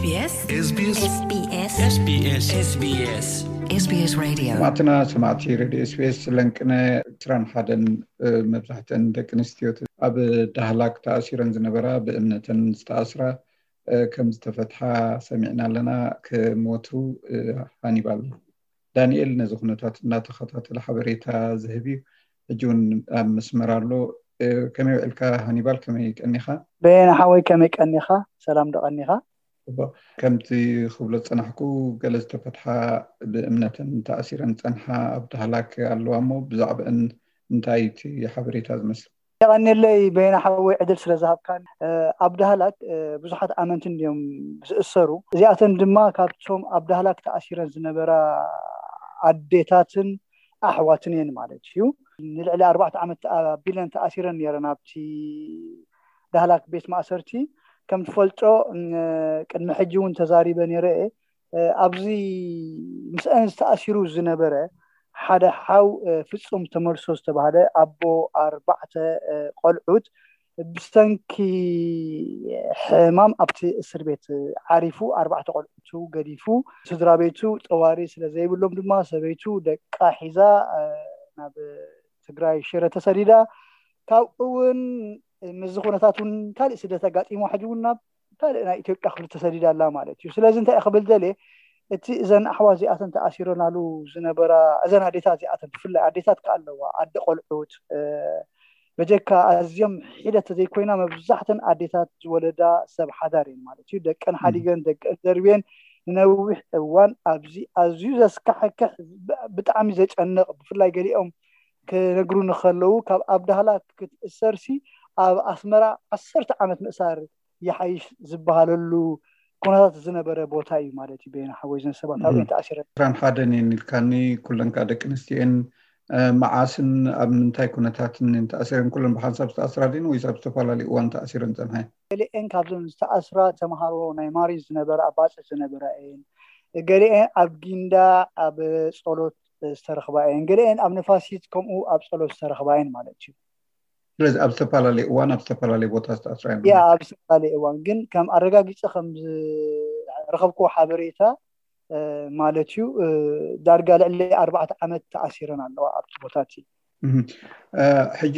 SBS SBS SBS SBS Radio. ሰማዕትና ሰማዕቲ ሬድዮ ኤስቢኤስ ለንቅነ ዕስራን ሓደን መብዛሕተን ደቂ ኣንስትዮ ኣብ ዳህላክ ተኣሲረን ዝነበራ ብእምነተን ዝተኣስራ ከም ዝተፈትሓ ሰሚዕና ኣለና። ከም ወትሩ ሃኒባል ዳንኤል ነዚ ኩነታት እናተኸታተለ ሓበሬታ ዝህብ እዩ። ሕጂ እውን ኣብ መስመር ኣሎ። ከመይ ውዕልካ ሃኒባል? ከመይ ቀኒኻ? በየነ ሓወይ ከመይ ቀኒኻ? ሰላም ዶ ቀኒኻ? ከምቲ ክብሎ ዝጸናሕኩ፣ ገለ ዝተፈትሓ ብእምነተን ተኣሲረን ዝጸንሓ ኣብ ዳህላክ ኣለዋ እሞ ብዛዕባአን እንታይ እቲ ሓበሬታ ዝመስል? የቐንየለይ በየነ ሓወይ ዕድል ስለ ዝሃብካን። ኣብ ዳህላክ ብዙሓት ኣመንቲ እንድዮም ዝእሰሩ። እዚኣተን ድማ ካብቶም ኣብ ዳህላክ ተኣሲረን ዝነበራ ኣዴታትን ኣሕዋትን እየን ማለት እዩ። ንልዕሊ ኣርባዕተ ዓመት ኣቢለን ተኣሲረን ነይረን ኣብቲ ዳህላክ ቤት ማእሰርቲ። ከም ትፈልጦ ቅድሚ ሕጂ እውን ተዛሪበ ነይረ እየ። ኣብዚ ምስአን ዝተኣሲሩ ዝነበረ ሓደ ሓው ፍጹም ተመልሶ ዝተባህለ ኣቦ ኣርባዕተ ቆልዑት ብሰንኪ ሕማም ኣብቲ እስር ቤት ዓሪፉ ኣርባዕተ ቆልዑቱ ገዲፉ፣ ስድራ ቤቱ ጠዋሪ ስለ ዘይብሎም ድማ ሰበይቱ፣ ደቃ ሒዛ ናብ ትግራይ ሽረ ተሰዲዳ። ካብኡ እውን ምስዚ ኩነታት እውን ካልእ ስደት ኣጋጢሞ ሕጂ እውን ናብ ካልእ ናይ ኢትዮጵያ ክፍሊ ተሰዲዳ ኣላ ማለት እዩ። ስለዚ እንታይ ክብል ደልየ፣ እቲ እዘን ኣሕዋት እዚኣተን ተኣሲረናሉ ዝነበራ እዘን ኣዴታት እዚኣተን ብፍላይ ኣዴታት ከ ኣለዋ ኣደ ቆልዑት በጀካ ኣዝዮም ሒደት ተዘይኮይና መብዛሕተን ኣዴታት ዝወለዳ ሰብ ሓዳር እየን ማለት እዩ። ደቀን ሓዲገን ደቀን ደርብየን ንነዊሕ እዋን ኣብዚ ኣዝዩ ዘስካሕክሕ ብጣዕሚ ዘጨንቕ ብፍላይ ገሊኦም ክነግሩ ንከለዉ ካብ ኣብ ዳህላ ክትእሰርሲ ኣብ ኣስመራ ዓሰርተ ዓመት ምእሳር ይሓይሽ ዝበሃለሉ ኩነታት ዝነበረ ቦታ እዩ ማለት እዩ። በየነ ሓወይ ዘን ሰባት ኣብኡ ተኣሲረ። ዕስራን ሓደን እየን ኢልካኒ፣ ኩለን ከዓ ደቂ ኣንስትዮ እየን። መዓስን ኣብ ምንታይ ኩነታትን እየን ተኣሲረን? ኩለን ብሓንሳብ ዝተኣስራ ድን ወይስ ኣብ ዝተፈላለዩ እዋን ተኣሲረን ፀንሓ? ገሊኤን ካብዞን ዝተኣስራ ተምሃሮ ናይ ማሪ ዝነበረ ኣባፅዕ ዝነበራ እየን። ገሊኤን ኣብ ጊንዳ ኣብ ፀሎት ዝተረኽባ እየን። ገሊኤን ኣብ ነፋሲት ከምኡ ኣብ ፀሎት ዝተረኽባ እየን ማለት እዩ። ስለዚ ኣብ ዝተፈላለየ እዋን ኣብ ዝተፈላለየ ቦታ ዝተኣስራ እዮም። ያ ኣብ ዝተፈላለየ እዋን ግን ከም ኣረጋጊፀ ከም ዝረኸብክዎ ሓበሬታ ማለት እዩ ዳርጋ ልዕሊ ኣርባዕተ ዓመት ተኣሲረን ኣለዋ ኣብቲ ቦታ እቲ። ሕጂ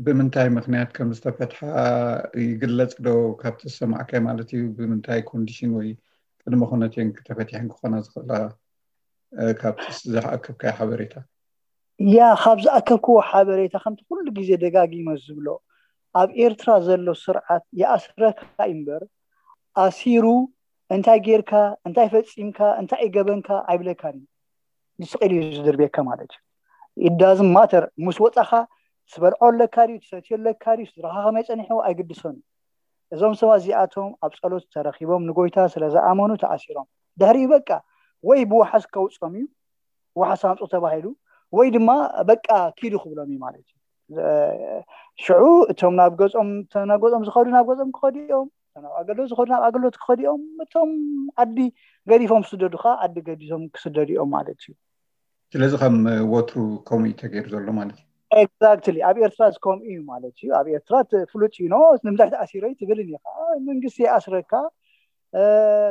ብምንታይ ምክንያት ከም ዝተፈትሓ ይግለፅ ዶ? ካብቲ ዝሰማዕካይ ማለት እዩ። ብምንታይ ኮንዲሽን ወይ ቅድመ ኩነት እየን ተፈቲሐን ክኾና ዝኽእላ? ካብቲ ዝኣከብካዮ ሓበሬታ። ያ ካብ ዝኣከብክዎ ሓበሬታ ከምቲ ኩሉ ግዜ ደጋጊመ ዝብሎ ኣብ ኤርትራ ዘሎ ስርዓት ይኣስረካ እምበር ኣሲሩ እንታይ ጌርካ እንታይ ፈጺምካ እንታይ ይገበንካ ኣይብለካን እዩ። ንስቕ ኢሉ እዩ ዝድርብየካ ማለት እዩ። ኢዳዝም ማተር ምስ ወጻኻ ትበልዖ ኣለካ ድዩ ትሰትዮ ኣለካ ድዩ ስድራኻ ከመይ ጸኒሕዎ ኣይግድሶን እዩ። እዞም ሰባት እዚኣቶም ኣብ ጸሎት ተረኺቦም ንጎይታ ስለ ዝኣመኑ ተኣሲሮም ድሕሪኡ በቃ ወይ ብዋሓስ ከውጾም እዩ ዋሓስ ኣምፁ ተባሂሉ ወይ ድማ በቃ ኪዱ ክብሎም እዩ ማለት እዩ። ሽዑ እቶም ናብ ገፆም እቶም ናብ ገፆም ዝኸዱ ናብ ገፆም ክኸዱ እዮም፣ እቶም ናብ ኣገልግሎት ዝኸዱ ናብ ኣገልግሎት ክኸዱ እዮም፣ እቶም ዓዲ ገዲፎም ዝስደዱ ከዓ ዓዲ ገዲፎም ክስደዱ እዮም ማለት እዩ። ስለዚ ከም ወትሩ ከምኡ እዩ ተገይሩ ዘሎ ማለት እዩ። ኤግዛክትሊ ኣብ ኤርትራ ከምኡ እዩ ማለት እዩ። ኣብ ኤርትራ ፍሉጥ እዩ። ኖ ንምንታይ ተኣሲረ ትብልን ኢኻ፣ መንግስቲ ይኣስረካ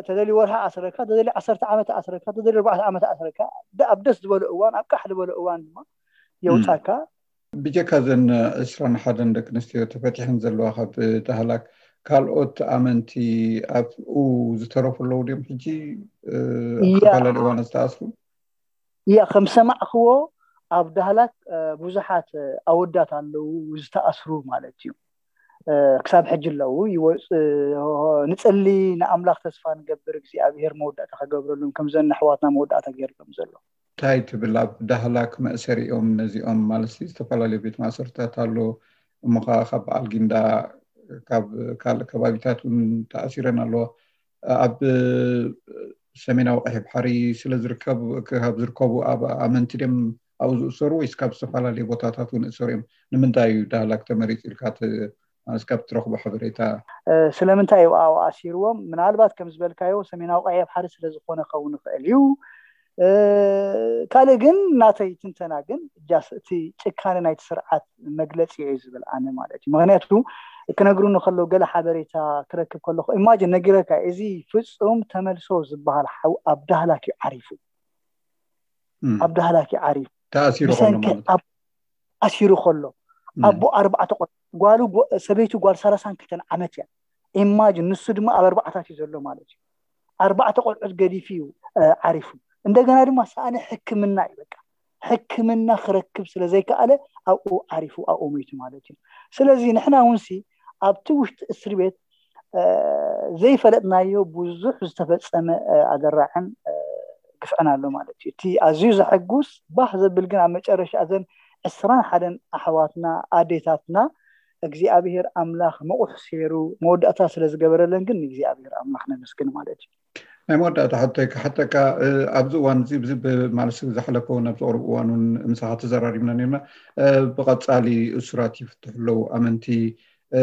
ተደልዩ ወርሒ ኣስረካ ተደልዩ ዓሰርተ ዓመት ኣስረካ ተደልዩ ኣርባዕተ ዓመት ኣስረካ ኣብ ደስ ዝበሎ እዋን ኣብ ቃሕ ዝበሎ እዋን ድማ የውፃካ። ብጀካ ዘን ዕስራን ሓደን ደቂ ኣንስትዮ ተፈቲሐን ዘለዋ ካብ ዳህላክ ካልኦት ኣመንቲ ኣብኡ ዝተረፉ ኣለዉ ድዮም ሕጂ? ኣብ ዝተፈላለዩ እዋን ዝተኣስሩ? ያ ከም ሰማዕክዎ ኣብ ዳህላክ ብዙሓት ኣወዳት ኣለዉ ዝተኣስሩ ማለት እዩ። ክሳብ ሕጂ ኣለዉ ይወፅ ንፅሊ ንኣምላኽ ተስፋ ንገብር እግዚኣብሔር መወዳእታ ከገብረሉን ከምዘን ኣሕዋትና መወዳእታ ገይርሎም ዘሎ። እንታይ ትብል? ኣብ ዳህላክ መእሰሪኦም ነዚኦም ማለት ዝተፈላለዩ ቤት ማእሰርታት ኣሎ እሞ ከዓ ካብ በዓል ጊንዳ ካብ ካልእ ከባቢታት እውን ተኣሲረን ኣለዋ። ኣብ ሰሜናዊ ቀይሕ ባሕሪ ስለ ዝርከቡ ካብ ዝርከቡ ኣብ ኣመንቲ ድም ኣብኡ ዝእሰሩ ወይስ ካብ ዝተፈላለዩ ቦታታት እውን እሰሩ እዮም? ንምንታይ እዩ ዳህላክ ተመሪፁ ኢልካ ማለት ካብ ትረኽቦ ሓበሬታ? ስለምንታይ እዩ ኣብኡ ኣሲርዎም? ምናልባት ከም ዝበልካዮ ሰሜናዊ ቀይሕ ባሕሪ ስለ ዝኾነ ክኸውን ይኽእል እዩ። ካልእ ግን ናተይ ትንተና ግን just እቲ ጭካነ ናይቲ ስርዓት መግለፂ እዩ ዝብል ኣነ ማለት እዩ። ምክንያቱ ክነግሩኒ ከለዉ ገለ ሓበሬታ ክረክብ ከለኹ imagine ነጊረካ፣ እዚ ፍፁም ተመልሶ ዝበሃል ሓው ኣብ ዳህላክ እዩ ዓሪፉ። ኣብ ዳህላክ እዩ ዓሪፉ። ተኣሲሩ ከሎ ብሰንኪ ማለት ኣብ ኣሲሩ ከሎ እም። ኣቦ ኣርባዕተ ቆልዑ፣ ጓሉ ጎ- ሰበይቱ ጓል ሰላሳን ክልተን ዓመት እያ። Imagine ንሱ ድማ ኣብ ኣርባዕታት እዩ ዘሎ ማለት እዩ። ኣርባዕተ ቆልዑት ገዲፉ እዩ እ፣ ዓሪፉ። እንደገና ድማ ሰኣነ ሕክምና እዩ በቃ ሕክምና ክረክብ ስለ ዘይከኣለ ኣብኡ ዓሪፉ ኣብኡ ሞይቱ ማለት እዩ። ስለዚ ንሕና እውን ሲ ኣብቲ ውሽጢ እስር ቤት እ፣ ዘይፈለጥናዮ ብዙሕ ዝተፈፀመ እ፣ ኣደራዕን እ፣ ግፍዕን ኣሎ ማለት እዩ። እቲ ኣዝዩ ዘሐጉስ ባህ ዘብል ግን ኣብ መጨረሻ እዘን ዕስራን ሓደን ኣሕዋትና ኣዴታትና እግዚኣብሔር ኣምላኽ ምቑሕ ሴሩ መወዳእታ ስለ ዝገበረለን ግን ንእግዚኣብሔር ኣምላኽ ነመስግን ማለት እዩ። ናይ መወዳእታ ሕቶይ ክሓተካ እ፣ ኣብዚ እዋን እዚ ብዚ ማለት ዝሓለፈ እውን ኣብዚ ቅሩብ እዋን እውን ምሳኻ ተዘራሪብና ነርና። እ፣ ብቐፃሊ እሱራት ይፍትሑ ኣለዉ ኣመንቲ። እ፣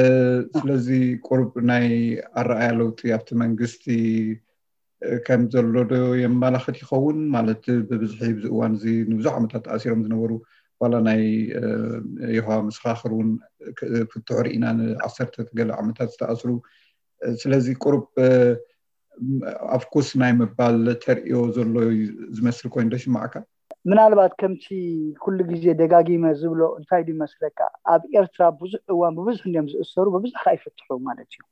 ስለዚ ቁሩብ ናይ ኣረኣያ ለውጢ ኣብቲ መንግስቲ እ፣ ከም ዘሎ ዶ የመላኽት ይኸውን? ማለት ብብዝሒ ብዚ እዋን እዚ ንብዙሕ ዓመታት ተኣሲሮም ዝነበሩ ዋላ ናይ እ፣ የሆዋ መሰኻኽር እውን ክ- ፍትሑ ርኢና ንዓሰርተ ገለ ዓመታት ዝተኣስሩ። እ፣ ስለዚ ቁሩብ እ፣ ኣፍኩስ ናይ ምባል ተርእዮ ዘሎ እዩ ዝመስል ኮይኑ ዶ ይስማዓካ? ምናልባት ከምቲ ኩሉ ግዜ ደጋጊመ ዝብሎ እንታይ ድዩ መስለካ፣ ኣብ ኤርትራ ብዙሕ እዋን ብብዙሕ እንዲዮም ዝእሰሩ፣ ብብዙሕ ከዓ ይፍትሑ ማለት እዩ።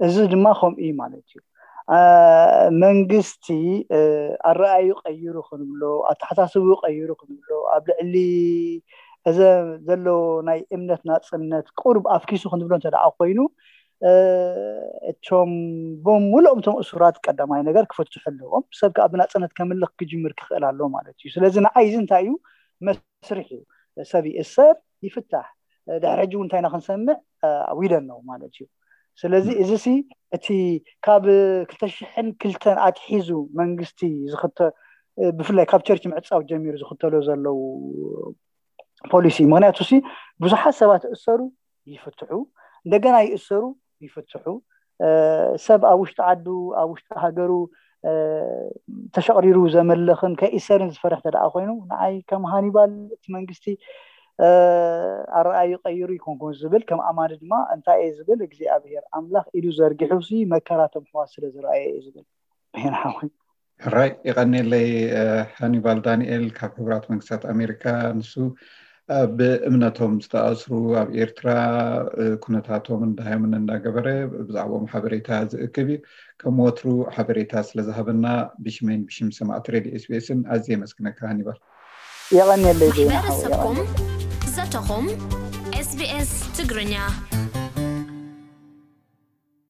እዚ ድማ ከምኡ እዩ ማለት እዩ። አ፣ መንግስቲ እ፣ ኣረኣዩ ቀይሩ ክንብሎ፣ ኣተሓሳስቡ ቀይሩ ክንብሎ፣ ኣብ ልዕሊ እዚ ዘሎ ናይ እምነት ናፅነት ቁሩብ ኣፍኪሱ ክንብሎ እንተ ደኣ ኮይኑ እ፣ እቶም ብምሉኦም እቶም እሱራት ቀዳማይ ነገር ክፍትሑ ኣለዎም። ሰብ ከዓ ብናፅነት ከምልኽ ክጅምር ክኽእል ኣለዎ ማለት እዩ። ስለዚ ንዓይ እዚ እንታይ እዩ መስርሕ እዩ። ሰብ ይእሰር ይፍታሕ። ድሕሪ ሕጂ እውን እንታይ ኢና ክንሰምዕ እ፣ we don't know ማለት እዩ። ስለዚ እዚ ሲ እቲ ካብ ክልተ ሽሕን ክልተን ኣትሒዙ መንግስቲ ዝኽተ እ፣ ብፍላይ ካብ ቸርች ምዕፃው ጀሚሩ ዝኽተሎ ዘለዉ ፖሊሲ ምክንያቱ ሲ ብዙሓት ሰባት እሰሩ ይፍትሑ እንደገና ይእሰሩ ይፍትሑ እ፣ ሰብ ኣብ ውሽጢ ዓዱ ኣብ ውሽጢ ሃገሩ እ፣ ተሸቕሪሩ ዘመልኽን ከይእሰርን ዝፈርሕ ተደኣ ኮይኑ ንዓይ ከም ሃኒባል እቲ መንግስቲ እ፣ ኣረኣዩ ቀይሩ ይኮንኩን ዝብል ከም ኣማኒ ድማ እንታይ እየ ዝብል እግዚኣብሔር ኣምላኽ ኢዱ ዘርጊሑ ሲ መከራቶም ሕዋት ስለ ዝረኣየ እየ ዝብል ይንሓወይ ራይ ይቐኒለይ እ፣ ሃኒባል ዳንኤል ካብ ሕቡራት መንግስታት ኣሜሪካ። ንሱ እ፣ ብእምነቶም ዝተኣስሩ ኣብ ኤርትራ እ፣ ኩነታቶም እንዳሃየምን እንዳገበረ ብዛዕባኦም ሓበሬታ ዝእክብ እዩ። ከም ወትሩ ሓበሬታ ስለ ዝሃበና ብሽመይን ብሽም ሰማዕቲ ሬድዮ ኤስቢኤስን ኣዝየ የመስግነካ ሃኒባል። የቐኒለይ ዜና ሓወይ ማሕበረሰብኩም የቐኒለይ። ዘተኹም ኤስቢኤስ ትግርኛ